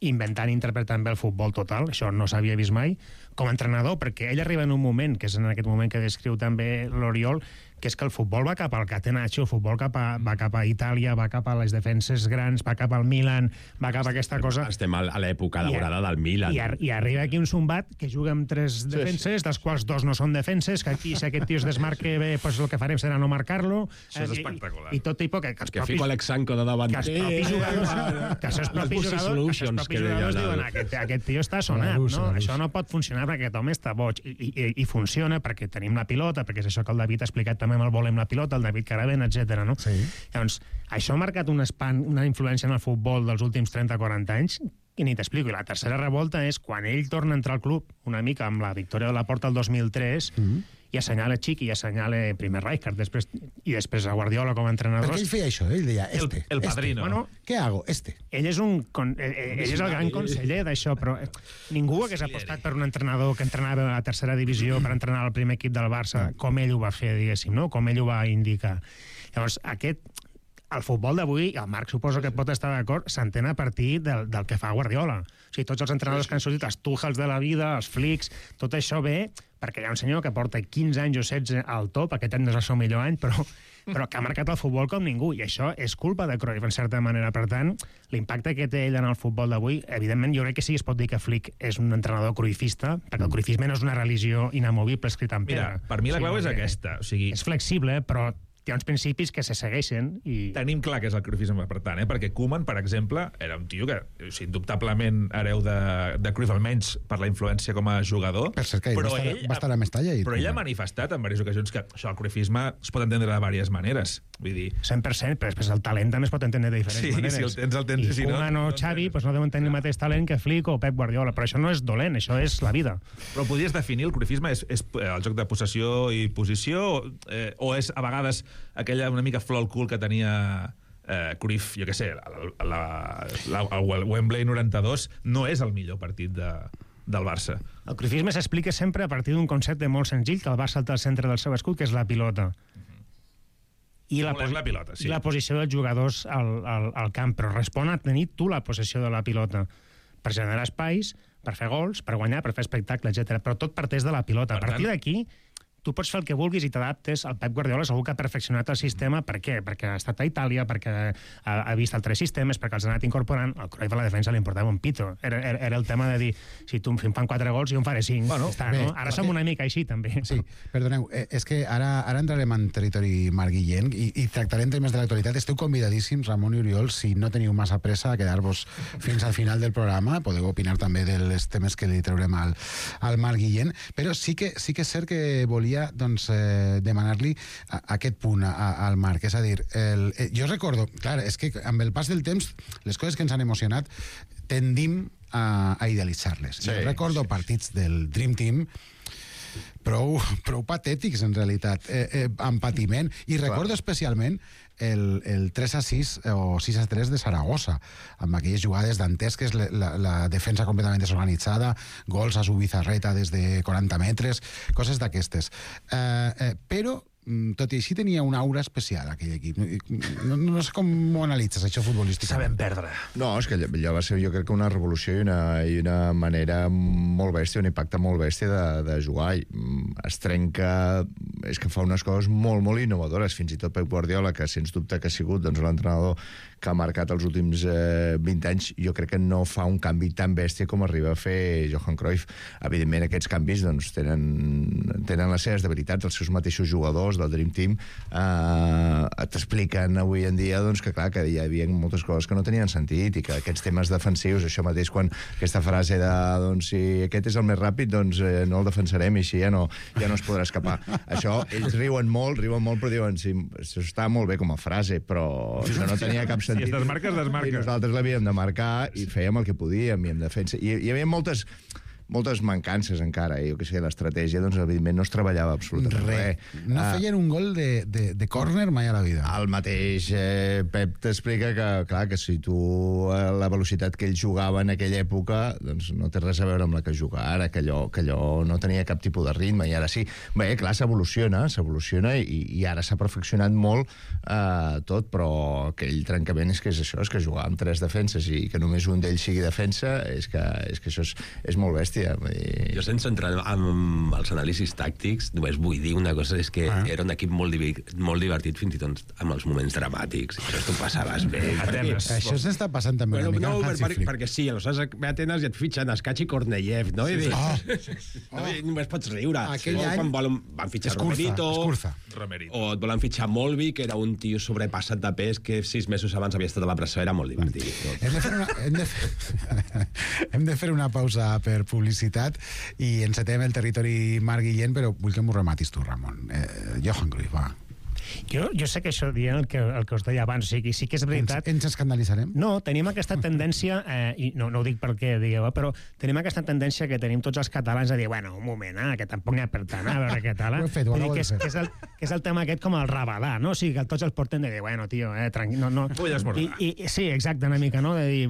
inventant i interpretant bé el futbol total, això no s'havia vist mai. Com a entrenador, perquè ell arriba en un moment, que és en aquest moment que descriu també l'Oriol, que és que el futbol va cap al Catenaccio, el futbol va cap a Itàlia, va cap a les defenses grans, va cap al Milan, va cap a aquesta cosa... Estem a l'època daurada del Milan. I arriba aquí un Zumbat que juga amb 3 defenses, dels quals 2 no són defenses, que aquí, si aquest tio es desmarque bé, pues el que farem serà no marcar-lo. Això és espectacular. I tot tipus que fico Alexanco de davanter... Que els propis jugadors diuen aquest tio està sonat, no? Això no pot funcionar perquè aquest home està boig. I funciona perquè tenim la pilota, perquè és això que el David ha explicat també amb el volem la pilota, el David Caravent, etc. No? Sí. Llavors, això ha marcat una influència en el futbol dels últims 30-40 anys i ni t'explico. I la tercera revolta és quan ell torna a entrar al club, una mica amb la victòria de Laporta el 2003, i assenyala Chiqui i assenyala primer Rijkaard, i després a Guardiola com a entrenador. Perquè ell feia això, ell deia, el padrino. Bueno, què hago? Ell és el gran conseller d'això, però ningú hagués apostat per un entrenador que entrenava a la tercera divisió per entrenar el primer equip del Barça, com ell ho va fer, diguéssim, no? Com ell ho va indicar. Llavors, el futbol d'avui, el Marc suposo que pot estar d'acord, s'entén a partir del que fa Guardiola. O sigui, tots els entrenadors que han sortit, els Tuchels de la vida, els Flicks, tot això ve perquè hi ha un senyor que porta 15 anys o 16 al top, aquest any no és el seu millor any, però que ha marcat el futbol com ningú, i això és culpa de Cruyff, en certa manera. Per tant, l'impacte que té ell en el futbol d'avui, evidentment, jo crec que sí es pot dir que Flick és un entrenador cruifista, perquè el cruifisme no és una religió inamovible escrita en pedra. Mira, per mi la clau és aquesta. O sigui, és flexible, però hi ha uns principis que se segueixen i... Tenim clar que és el cruyffisme, per tant, perquè Koeman, per exemple, era un tio que, indubtablement hereu de Cruyff, almenys per la influència com a jugador. Per cert, que va estar a Mestalla. Però ell ha manifestat en diverses ocasions que això, el cruyffisme es pot entendre de diverses maneres. Vull dir... 100%, però després el talent també es pot entendre de diferents maneres. Sí, si el tens, I si Koeman o Xavi no deuen tenir el mateix talent que Flick o Pep Guardiola, però això no és dolent, això és la vida. Però podries definir el cruyffisme és el joc de possessió i posició o és a vegades aquella una mica flor al cul que tenia Cruyff, jo què sé, el Wembley 92 no és el millor partit del Barça. El cruyffisme s'explica sempre a partir d'un concepte molt senzill, que el Barça té al centre del seu escut, que és la pilota. I la pilota, sí. I la posició dels jugadors al camp, però respon a tenir tu la possessió de la pilota per generar espais, per fer gols, per guanyar, per fer espectacle, etc. Però tot parteix de la pilota. A partir d'aquí tu pots fer el que vulguis i t'adaptes. El Pep Guardiola segur que ha perfeccionat el sistema. Per què? Perquè ha estat a Itàlia, perquè ha vist altres sistemes, perquè els ha anat incorporant. El Cruyff a la defensa li importava un pito. Era el tema de dir, si tu em fan 4 gols, jo en faré 5. Bueno, no? Ara som una mica així, també. Sí, perdoneu, és que ara entrarem en territori Marc Guillén i tractarem temes de l'actualitat. Esteu convidadíssims, Ramon i Oriol, si no teniu massa pressa a quedar-vos fins al final del programa. Podeu opinar també dels temes que li traurem al Marc Guillén, però sí que és cert que volia demanar-li aquest punt al Marc, és a dir, jo recordo, clar, és que amb el pas del temps les coses que ens han emocionat tendim a idealitzar-les. Jo recordo partits del Dream Team prou patètics, en realitat, amb patiment, i recordo especialment el 3-6 o 6-3 de Saragossa, amb aquelles jugades dantesques, la defensa completament desorganitzada, gols a Zubizarreta des de 40 metres, coses d'aquestes. Però tot i així tenia una aura especial aquell equip. No sé com ho analitzes, això futbolístic. Sabem perdre. No, és que allò va ser, jo crec que una revolució i una manera molt bèstia, un impacte molt bèstia de jugar. Es trenca... És que fa unes coses molt, molt innovadores. Fins i tot Pep Guardiola, que sens dubte que ha sigut l'entrenador que ha marcat els últims 20 anys, jo crec que no fa un canvi tan bèstia com arriba a fer Johan Cruyff. Evidentment, aquests canvis tenen les seves debilitats. Els seus mateixos jugadors del Dream Team t'expliquen avui en dia que, clar, que hi havia moltes coses que no tenien sentit i que aquests temes defensius, això mateix quan aquesta frase de si aquest és el més ràpid, no el defensarem i així ja no es podrà escapar. Això, ells riuen molt, però diuen, sí, això està molt bé com a frase, però això no tenia cap sentit. Si es desmarca, es desmarca. I nosaltres l'havíem de marcar i fèiem el que podíem, i en defensa. I hi havia moltes mancances encara, jo que sé, l'estratègia, evidentment no es treballava absolutament res. No feien un gol de córner mai a la vida. El mateix Pep t'explica que, clar, que si tu la velocitat que ell jugava en aquella època no té res a veure amb la que juga ara, que allò no tenia cap tipus de ritme, i ara sí. Bé, clar, s'evoluciona i ara s'ha perfeccionat molt tot, però aquell trencament és que és això, és que jugar amb 3 defenses i que només un d'ells sigui defensa, és que això és molt bèstia. Jo, sense entrar en els anàlisis tàctics, només vull dir una cosa, és que era un equip molt divertit, fins i tot amb els moments dramàtics. Això t'ho passaves bé. Això s'està passant també una mica amb Hansi Flick. Perquè sí, aleshores ve a Atenes i et fitxen Escachi Korneyev, no? Només pots riure. Aquell any van fitxar Romerito, o et volen fitxar Molvi, que era un tio sobrepassat de pes que 6 mesos abans havia estat a la presó, era molt divertit. Hem de fer una pausa per publicitat i encetem el territori Marc Guillén, però vull que m'ho rematis tu, Ramon. Johan Cruyff, va. Jo sé que això dient el que us deia abans, o sigui, sí que és veritat... Ens escandalitzarem? No, tenim aquesta tendència, i no ho dic perquè digueu, però tenim aquesta tendència que tenim tots els catalans a dir, bueno, un moment, que tampoc n'hi ha per tant, a veure què tal. Que és el tema aquest com el rabadà, no? O sigui, que tots els porten de dir, bueno, tio, tranquil, no... Sí, exacte, una mica, no? I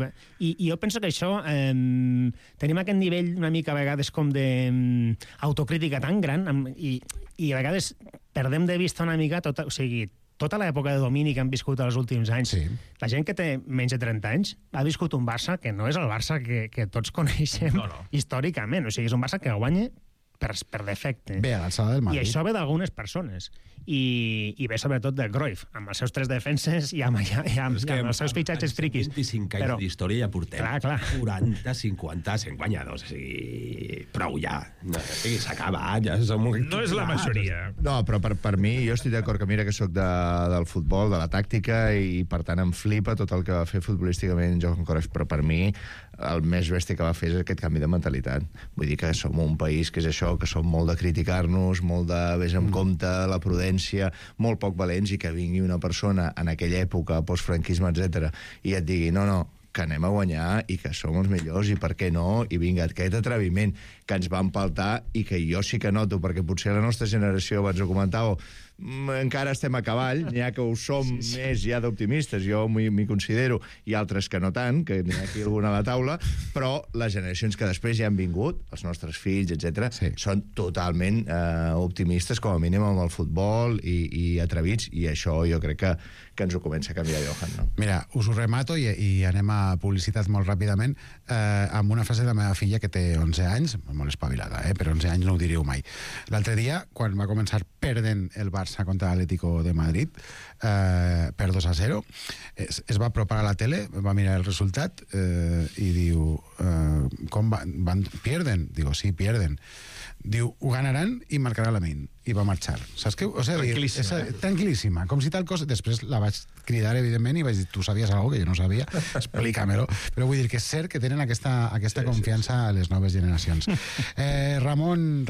jo penso que això tenim aquest nivell una mica a vegades com d'autocrítica tan gran i a vegades perdem de vista una mica tota l'època de domini que han viscut els últims anys. Sí. La gent que té menys de 30 anys ha viscut un Barça que no és el Barça que tots coneixem històricament. O sigui, és un Barça que guanya per defecte. Ve a l'alçada del Madrid. I això ve d'algunes persones. I ve sobretot del Cruyff, amb els seus 3 defenses i amb els seus fitxatges friquis. 25 anys d'història ja portem. Clar. 40, 50, 100 guanyadors. O sigui, prou ja. S'ha acabat, ja som... No és la majoria. No, però per mi, jo estic d'acord que mira que sóc del futbol, de la tàctica, i per tant em flipa tot el que va fer futbolísticament Johan Cruyff, però per mi el més bèstia que va fer és aquest canvi de mentalitat. Vull dir que som un país que és això, que som molt de criticar-nos, molt de vés amb compte, la prudència, molt poc valents, i que vingui una persona en aquella època, postfranquisme, etc, i et digui, no, que anem a guanyar i que som els millors i per què no, i vinga, aquest atreviment que ens va empaltar i que jo sí que noto, perquè potser la nostra generació, abans ho comentàveu, encara estem a cavall, n'hi ha que ho som més ja d'optimistes, jo m'hi considero, i altres que no tant, que n'hi ha aquí alguna a la taula, però les generacions que després ja han vingut, els nostres fills, etc, són totalment optimistes, com a mínim amb el futbol, i atrevits, i això jo crec que ens ho comença a canviar Johan, no? Mira, us ho remato i anem a publicitat molt ràpidament amb una frase de la meva filla que té 11 anys, molt espavilada, però 11 anys no ho diríeu mai. L'altre dia, quan va començar perdent el Barça contra l'Atlético de Madrid per 2-0, es va apropar a la tele, va mirar el resultat i diu, com van? Pierden? Digo, sí, pierden. Diu, ho ganaran i marcarà la Min. I va marxar. Saps què? O sigui, tranquil·líssima. Tranquil·líssima. Com si tal cosa... Després la vaig cridar, evidentment, i vaig dir, tu sabies alguna que jo no sabia? Explícamelo. Però vull dir que és cert que tenen aquesta confiança a les noves generacions. Ramon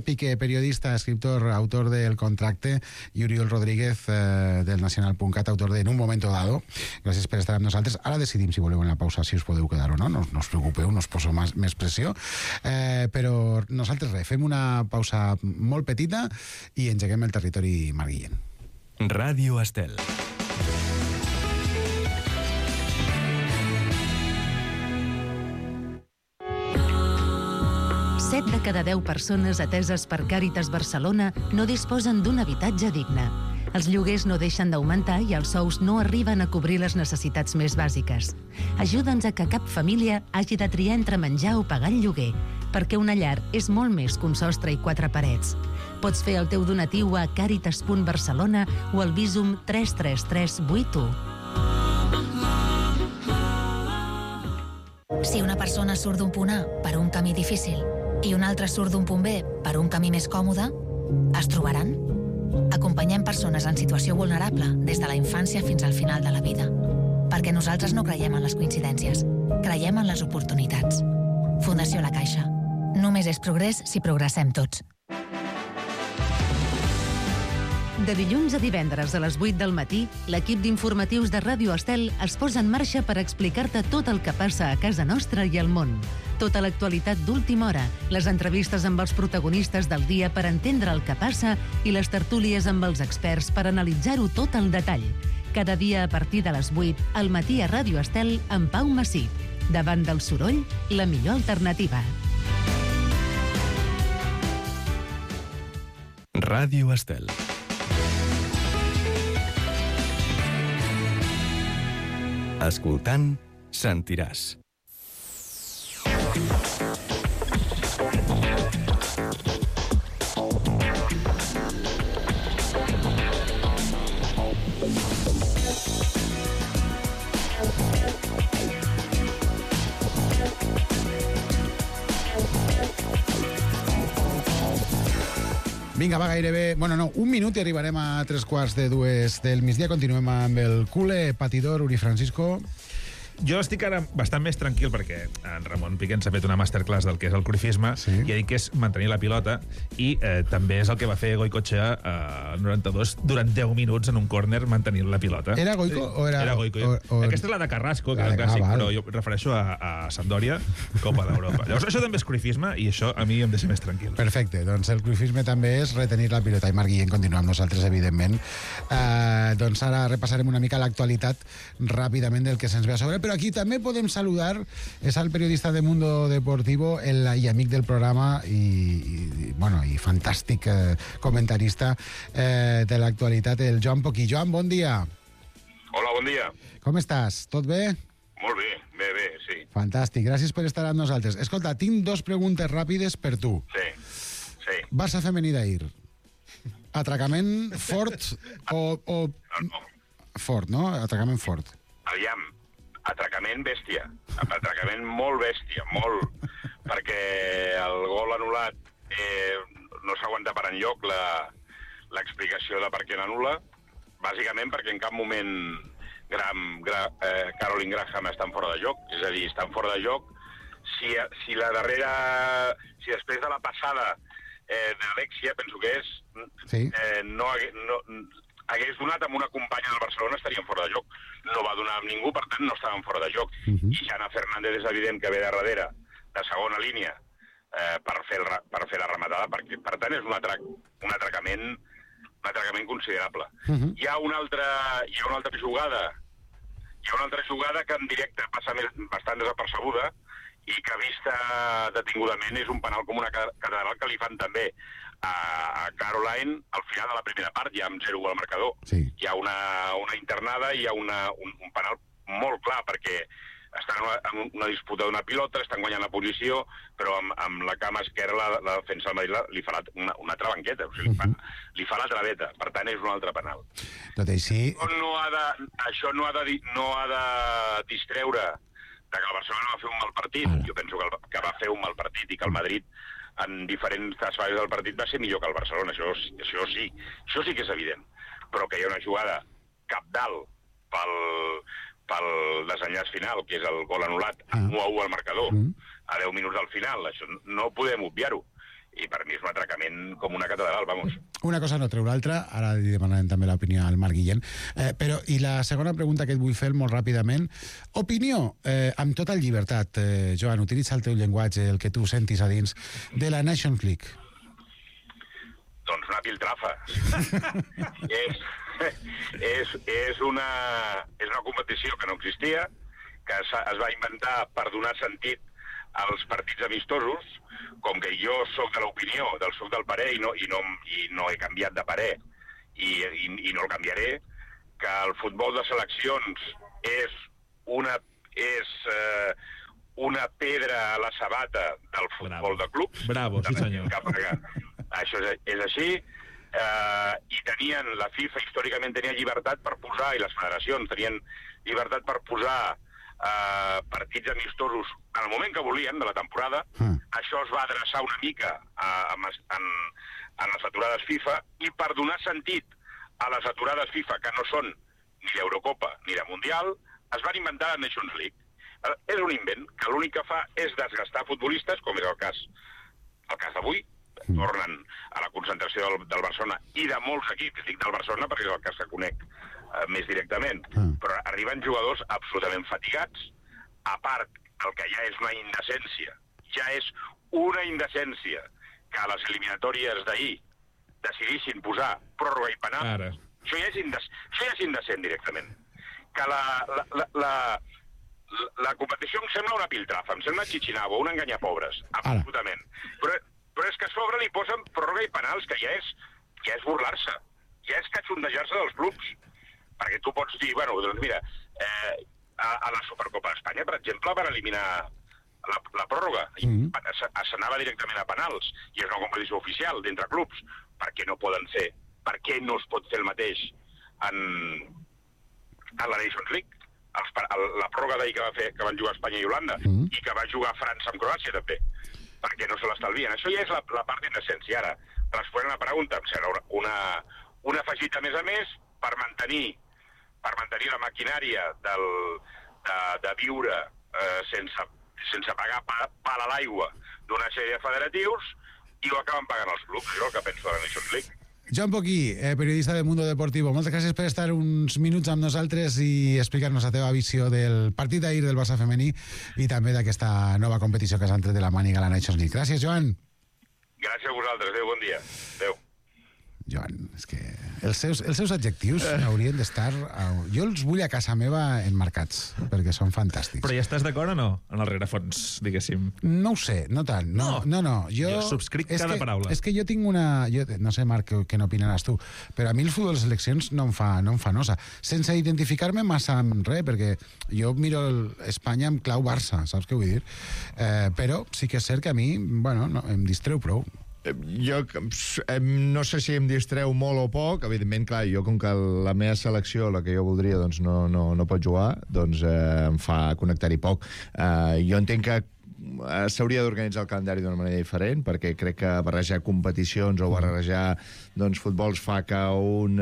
Piqué, periodista, escriptor, autor del Contracte, i Oriol Rodríguez, del Nacional.cat, autor de En un momento dado. Gràcies per estar amb nosaltres. Ara decidim si voleu en la pausa si us podeu quedar o no. No us preocupeu, no us poso més pressió. Però nosaltres fem una pausa molt petita i engeguem el territori marguillen. Ràdio Estel. Set de cada 10 persones ateses per Càritas Barcelona no disposen d'un habitatge digne. Els lloguers no deixen d'augmentar i els sous no arriben a cobrir les necessitats més bàsiques. Ajuda'ns a que cap família hagi de triar entre menjar o pagar el lloguer, perquè una llar és molt més que un sostre i 4 parets. Pots fer el teu donatiu a caritas.barcelona o al Bizum 33381. Si una persona surt d'un punt A per un camí difícil i una altra surt d'un punt B per un camí més còmode, es trobaran? Acompanyem persones en situació vulnerable des de la infància fins al final de la vida. Perquè nosaltres no creiem en les coincidències, creiem en les oportunitats. Fundació La Caixa. Només és progrés si progressem tots. De dilluns a divendres a les 8 del matí, l'equip d'informatius de Ràdio Estel es posa en marxa per explicar-te tot el que passa a casa nostra i al món. Tota l'actualitat d'última hora, les entrevistes amb els protagonistes del dia per entendre el que passa i les tertúlies amb els experts per analitzar-ho tot al detall. Cada dia a partir de les 8, al matí a Ràdio Estel amb Pau Massip. Davant del soroll, la millor alternativa. Ràdio Estel. Escoltant, sentiràs. Vinga, va gairebé... Bueno, no, un minut i arribarem a 3:45 del migdia. Continuem amb el cule patidor Uri Francisco. Jo estic ara bastant més tranquil perquè en Ramon Piqué ens ha fet una masterclass del que és el cruifisme i ha dit que és mantenir la pilota i també és el que va fer Goicoechea al 92 durant 10 minuts en un córner mantenint la pilota. Era Goico o era... Era Goico. Aquesta és la de Carrasco, que és el clàssic, però jo refereixo a Sampdoria, Copa d'Europa. Llavors, això també és cruifisme i això a mi em deixa més tranquil. Perfecte, doncs el cruifisme també és retenir la pilota. I Marc Guillén continua amb nosaltres, evidentment. Doncs ara repassarem una mica l'actualitat ràpidament del que se'ns ve a sobre, però aquí també podem saludar, és el periodista de Mundo Deportivo i amic del programa i fantàstic comentarista de l'actualitat, el Joan Poquí. Joan, bon dia. Hola, bon dia. Com estàs? Tot bé? Molt bé, bé, sí. Fantàstic, gràcies per estar amb nosaltres. Escolta, tinc 2 preguntes ràpides per tu. Sí. Sí. Barça femení d'ahir. Atracament fort o... No. Fort, no? Atracament fort. Aviam, atracament bèstia. Atracament molt bèstia, molt. Perquè el gol anul·lat no s'aguanta per enlloc l'explicació de per què l'anul·la. Bàsicament perquè en cap moment Caroline Graham estan fora de joc. És a dir, estan fora de joc. Si després de la passada d'Alexia, penso que és, no hagués donat amb una companya del Barcelona, estarien fora de joc. No va donar amb ningú, per tant, no estaven fora de joc. I Jana Fernández és evident que ve de darrere, de segona línia, per fer la rematada, perquè, per tant, és un atracament considerable. Hi ha una altra jugada que en directe passa bastant desapercebuda i que vista detingudament és un penal com una catedral que li fan també a Caroline al final de la primera part, ja amb 0-1 al marcador. Hi ha una internada i hi ha un penal molt clar, perquè estan en una disputa d'una pilota, estan guanyant la posició, però amb la cama esquerra la defensa del Madrid li fa una altra banqueta, o sigui, li fa la traveta, per tant és un altre penal. Tot així... Això no ha de distreure que el Barcelona va fer un mal partit. Jo penso que va fer un mal partit i que el Madrid en diferents fases del partit va ser millor que el Barcelona, això sí que és evident, però que hi ha una jugada cabdal pel desenllaç final, que és el gol anul·lat, 1-1 al marcador, a 10 minuts del final, això no podem obviar-ho, i per mi és un atracament com una catedral, vamos. Una cosa no treu l'altra, ara li demanarem també l'opinió al Marc Guillén, però, i la segona pregunta que et vull fer molt ràpidament, opinió, amb tota llibertat, Joan, utilitza el teu llenguatge, el que tu sentis a dins, de la Nations League. Doncs una piltrafa. és una competició que no existia, que es va inventar per donar sentit als partits amistosos, com que jo soc de l'opinió, soc del parer i no he canviat de parer i no el canviaré, que el futbol de seleccions és una pedra a la sabata del futbol de clubs. Bravo, sí senyor. Això és així, i la FIFA històricament tenia llibertat per posar, i les federacions tenien llibertat per posar partits amistosos en el moment que volien de la temporada. Això es va adreçar una mica en les aturades FIFA, i per donar sentit a les aturades FIFA, que no són ni d'Eurocopa ni de Mundial, es van inventar la Nations League. És un invent que l'únic que fa és desgastar futbolistes, com és el cas d'avui. Tornen a la concentració del Barcelona i de molts equips, dic del Barcelona perquè és el cas que conec més directament, però arriben jugadors absolutament fatigats. A part, el que ja és una indecència que a les eliminatòries d'ahir decidissin posar pròrroga i penal. Això ja és indecent directament. Que la competició em sembla una piltrafa, em sembla xichinabo, un enganyapobres, absolutament. Però és que a sobre li posen pròrroga i penals, que ja és burlar-se, ja és catxondejar-se dels clubs. Perquè tu pots dir, bueno, doncs mira, a la Supercopa d'Espanya, per exemple, van eliminar la pròrroga. S'anava directament a penals, i és una competició oficial d'entre clubs. Per què no poden fer? Per què no es pot fer el mateix en la Nations League? La pròrroga d'ahir que van jugar Espanya i Holanda, i que va jugar França amb Croàcia, també. Perquè no se l'estalvien. Això ja és la part d'indecència. Ara, responent a la pregunta, em sembla una afegita més a més per mantenir la maquinària de viure sense pagar pal a l'aigua d'una sèrie de federatius, i ho acaben pagant els clubs. Això és el que penso de la Nations League. Joan Poquí, periodista de Mundo Deportivo, moltes gràcies per estar uns minuts amb nosaltres i explicar-nos la teva visió del partit d'ahir del Barça femení i també d'aquesta nova competició que s'ha entret de la màniga a la Nations League. Gràcies, Joan. Gràcies a vosaltres. Adéu, bon dia. Adéu. Joan, és que els seus adjectius haurien d'estar... Jo els vull a casa meva enmarcats, perquè són fantàstics. Però ja estàs d'acord o no? En el rerefons, diguéssim. No ho sé, no tant. No. Jo subscric cada paraula. És que jo tinc una... No sé, Marc, què n'opinaràs tu, però a mi el futbol de seleccions no em fa nosa. Sense identificar-me massa amb res, perquè jo miro Espanya amb clau Barça, saps què vull dir? Però sí que és cert que a mi, bueno, em distreu prou. Jo no sé si em distreu molt o poc. Evidentment, clar, jo com que la meva selecció, la que jo voldria, doncs no pot jugar, doncs em fa connectar-hi poc. Jo entenc que s'hauria d'organitzar el calendari d'una manera diferent, perquè crec que barrejar competicions o barrejar futbols fa que un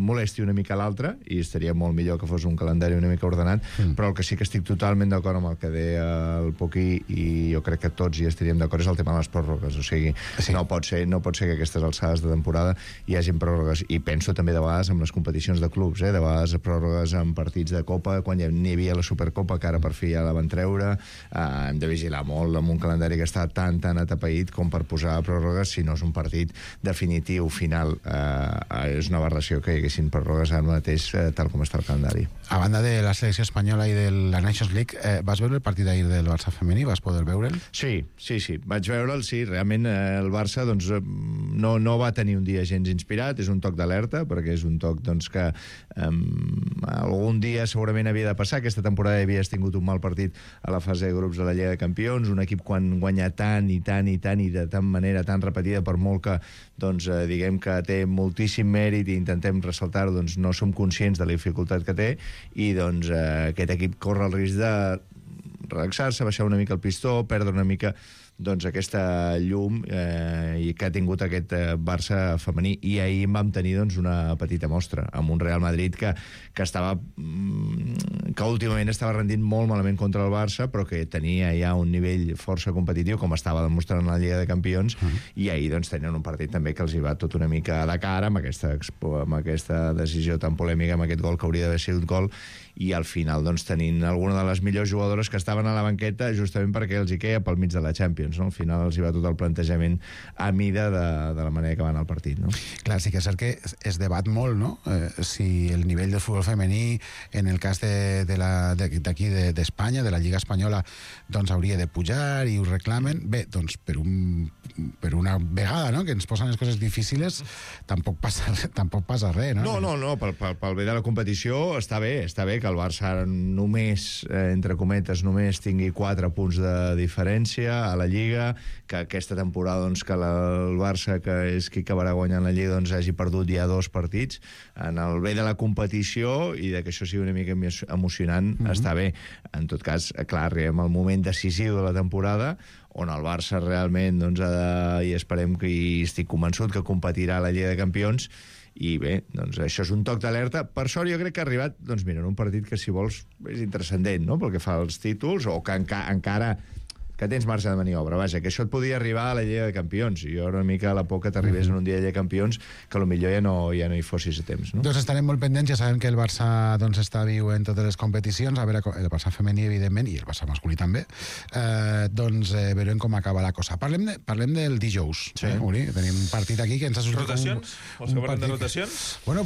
molesti una mica l'altre, i estaria molt millor que fos un calendari una mica ordenat, però el que sí que estic totalment d'acord amb el que deia el Poquí, i jo crec que tots hi estaríem d'acord, és el tema de les pròrrogues. O sigui, no pot ser que a aquestes alçades de temporada hi hagin pròrrogues, i penso també de vegades amb les competicions de clubs, de vegades pròrrogues en partits de Copa, quan n'hi havia la Supercopa, que ara per fi ja la van treure. Hem de vigilar molt amb un calendari que està tan atapeït com per posar pròrrogues si no és un partit definitiu, final. És una aberració que hi haguessin pròrrogues ara mateix tal com està el calendari. A banda de la selecció espanyola i de la Nations League, vas veure el partit d'ahir del Barça femení? Vas poder veure'l? Sí. Vaig veure'l, sí. Realment el Barça no va tenir un dia gens inspirat, és un toc d'alerta, perquè és un toc que algun dia segurament havia de passar. Aquesta temporada havies tingut un mal partit a la fase de grups de la Lliga de Campions, un equip quan guanya tant i de tan manera tan repetida, per molt que diguem que té moltíssim mèrit i intentem ressaltar-ho, no som conscients de la dificultat que té, i aquest equip corre el risc de relaxar-se, baixar una mica el pistó, perdre una mica aquesta llum que ha tingut aquest Barça femení. I ahir en vam tenir una petita mostra amb un Real Madrid que últimament estava rendint molt malament contra el Barça, però que tenia ja un nivell força competitiu, com estava demostrant en la Lliga de Campions, i ahir tenien un partit també que els hi va tot una mica de cara amb aquesta decisió tan polèmica, amb aquest gol que hauria d'haver sigut gol, i al final tenint alguna de les millors jugadores que estaven a la banqueta justament perquè els hi queia pel mig de la Champions. Al final els hi va tot el plantejament a mida de la manera que van al partit. Clar, sí que és cert que es debat molt, no? Si el nivell del futbol femení, en el cas d'aquí d'Espanya, de la Lliga Espanyola, hauria de pujar i ho reclamen. Bé, per una vegada, no?, que ens posen les coses difíciles, tampoc passa res, no? No, pel bé de la competició està bé que el Barça només, entre cometes, només tingui 4 punts de diferència a la Lliga, que aquesta temporada que el Barça, que és qui acabarà guanyant la Lliga, hagi perdut ja 2 partits. En el bé de la competició i que això sigui una mica més emocionant, està bé. En tot cas, clar, arribem al moment decisiu de la temporada on el Barça realment i esperem que estic convençut que competirà a la Lliga de Campions. I bé, això és un toc d'alerta. Per sort jo crec que ha arribat, en un partit que, si vols, és intrascendent, no?, pel que fa als títols, o que encara que tens marge de maniobra, vaja, que això et podia arribar a la Lliga de Campions, i jo una mica a la por que t'arribés en un dia de Lliga de Campions, que potser ja no hi fossis a temps, no? Doncs estarem molt pendents, ja sabem que el Barça està viu en totes les competicions, a veure, el Barça femení, evidentment, i el Barça masculí també, veurem com acaba la cosa. Parlem del dijous, Uri, tenim un partit aquí que ens ha sortit... Rotacions? Vols que parlem de rotacions? Bueno,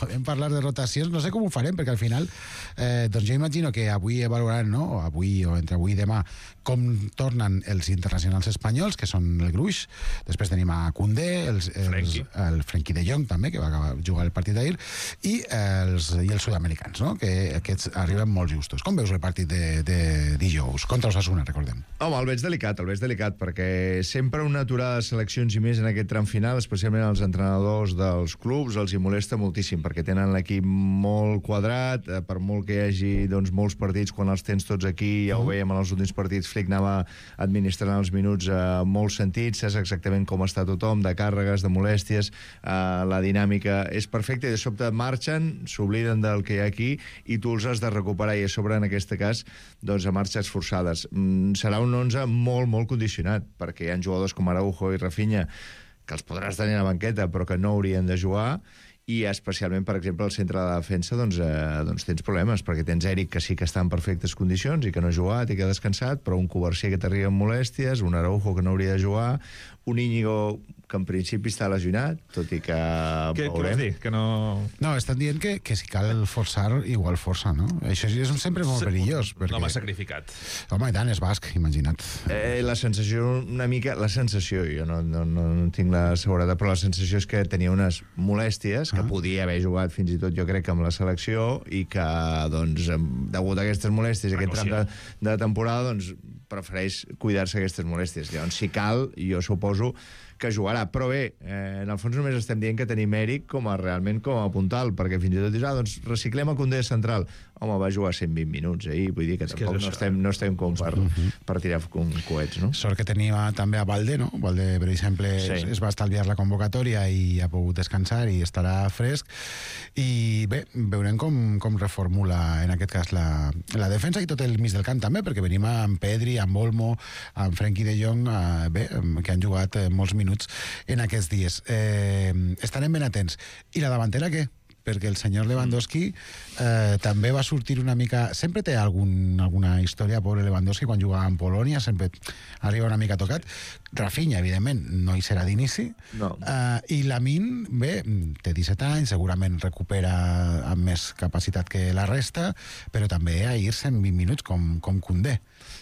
podem parlar de rotacions, no sé com ho farem, perquè al final, jo imagino que avui valoraran, no?, o entre avui i demà, com tornen els internacionals espanyols, que són el gruix. Després tenim a Koundé, el Frenkie de Jong també, que va jugar el partit d'ahir, i els sud-americans, no?, que aquests arriben molt justos. Com veus el partit de dijous? Contra Osasuna, recordem. Home, el veig delicat, perquè sempre una aturada de seleccions i més en aquest tram final, especialment els entrenadors dels clubs, els hi molesta moltíssim, perquè tenen l'equip molt quadrat, per molt que hi hagi molts partits, quan els tens tots aquí, ja ho veiem en els últims partits, Flick anava administrant els minuts molt sentits, saps exactament com està tothom, de càrregues, de molèsties, la dinàmica és perfecta, i de sobte marxen, s'obliden del que hi ha aquí, i tu els has de recuperar, i a sobre, en aquest cas, a marxes forçades. Serà un 11 molt, molt condicionat, perquè hi ha jugadors com Araujo i Rafinha que els podràs tenir a la banqueta, però que no haurien de jugar, i especialment, per exemple, al centre de la defensa tens problemes, perquè tens Eric, que sí que està en perfectes condicions i que no ha jugat i que ha descansat, però un Covarsí que t'arriba amb molèsties, un Araujo que no hauria de jugar, un Íñigo que en principi està lesionat, tot i que... Què vols dir? Que no... No, estan dient que si cal forçar, igual força, no? Això és sempre molt perillós. No m'ha sacrificat. Home, i tant, és basc, imagina't. La sensació, una mica... La sensació, jo no tinc la seguretat, però la sensació és que tenia unes molèsties, que podia haver jugat fins i tot, jo crec, amb la selecció, i que, degut a aquestes molèsties, aquest tram de temporada, prefereix cuidar-se aquestes molèsties. Llavors, si cal, jo suposo que jugarà. Però bé, en el fons només estem dient que tenim Eric realment com a puntal, perquè fins i tot dius, doncs reciclem a Koundé central. Home, va jugar 120 minuts, vull dir que tampoc no estem com per tirar coets, no? Sort que tenia també a Valde, no? Valde, per exemple, es va estalviar la convocatòria i ha pogut descansar i estarà fresc. I bé, veurem com reformula en aquest cas la defensa i tot el mig del camp també, perquè venim amb Pedri, amb Olmo, amb Frenkie de Jong, que han jugat molts minuts en aquests dies. Estarem ben atents. I la davantera, què? Perquè el senyor Lewandowski també va sortir una mica... Sempre té alguna història, pobre Lewandowski, quan jugava en Polònia, sempre arriba una mica tocat. Rafinha, evidentment, no hi serà d'inici. No. I Lamine, bé, té 17 anys, segurament recupera amb més capacitat que la resta, però també a ir-se en 20 minuts, com Koundé.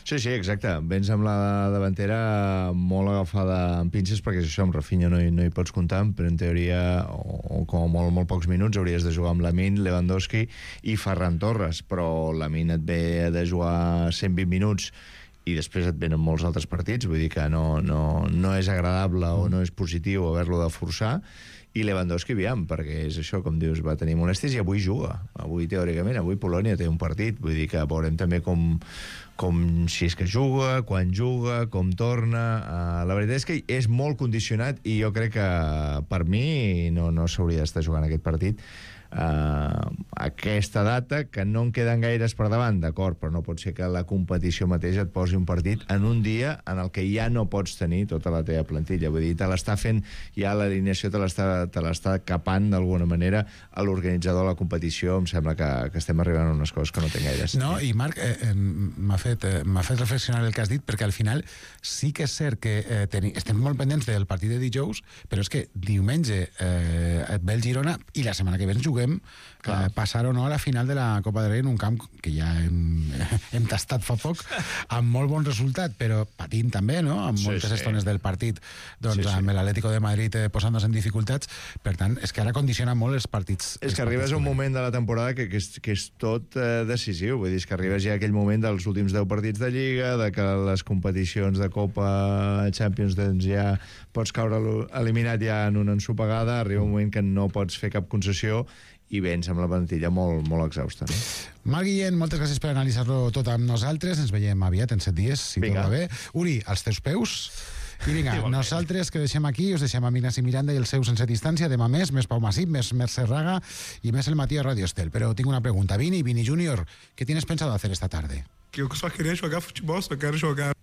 Sí, exacte. Vens amb la davantera molt agafada amb pinces, perquè això amb Rafinha no hi pots comptar, però en teoria, o com a molt pocs minuts, hauries de jugar amb Lamine, Lewandowski i Ferran Torres, però Lamine et ve de jugar 120 minuts i després et venen molts altres partits, vull dir que no és agradable o no és positiu haver-lo de forçar. I Lewandowski, aviam, perquè és això, com dius, va tenir molèsties i avui juga. Avui, teòricament, Polònia té un partit, vull dir que veurem també com si és que juga, quan juga, com torna. La veritat és que és molt condicionat i jo crec que per mi no s'hauria d'estar jugant aquest partit. Aquesta data, que no en queden gaires per davant, d'acord, però no pot ser que la competició mateixa et posi un partit en un dia en el que ja no pots tenir tota la teva plantilla. Vull dir, te l'està fent, ja l'alineació te l'està capant d'alguna manera a l'organitzador de la competició. Em sembla que estem arribant a unes coses que no tenen gaire sentit. No, i Marc, m'ha fet reflexionar el que has dit, perquè al final sí que és cert que estem molt pendents del partit de dijous, però és que diumenge et ve el Girona i la setmana que ve ens juguem passar o no a la final de la Copa del Rei en un camp que ja hem tastat fa poc, amb molt bon resultat, però patint també, no? Amb moltes estones del partit, doncs amb l'Atlético de Madrid posant-nos en dificultats. Per tant, és que ara condiciona molt els partits. És que arribes a un moment de la temporada que és tot decisiu, vull dir, és que arribes ja a aquell moment dels últims 10 partits de Lliga, de que les competicions de Copa Champions doncs ja pots caure eliminat ja en una ensopegada, arriba un moment que no pots fer cap concessió i vens amb la plantilla molt exhausta. No? Marc Guillén, moltes gràcies per analitzar-lo tot amb nosaltres. Ens veiem aviat, en 7 dies, si tot va bé. Uri, als teus peus. I vinga, nosaltres que deixem aquí, us deixem amb Ignasi Miranda i el seu Sense Distància. Demà més Pau Masip, més Mercè Raga i més el matí a Radio Estel. Però tinc una pregunta. Vini Junior, ¿qué tienes pensado hacer esta tarde? Que eu só queria jogar futebol, só quero jogar.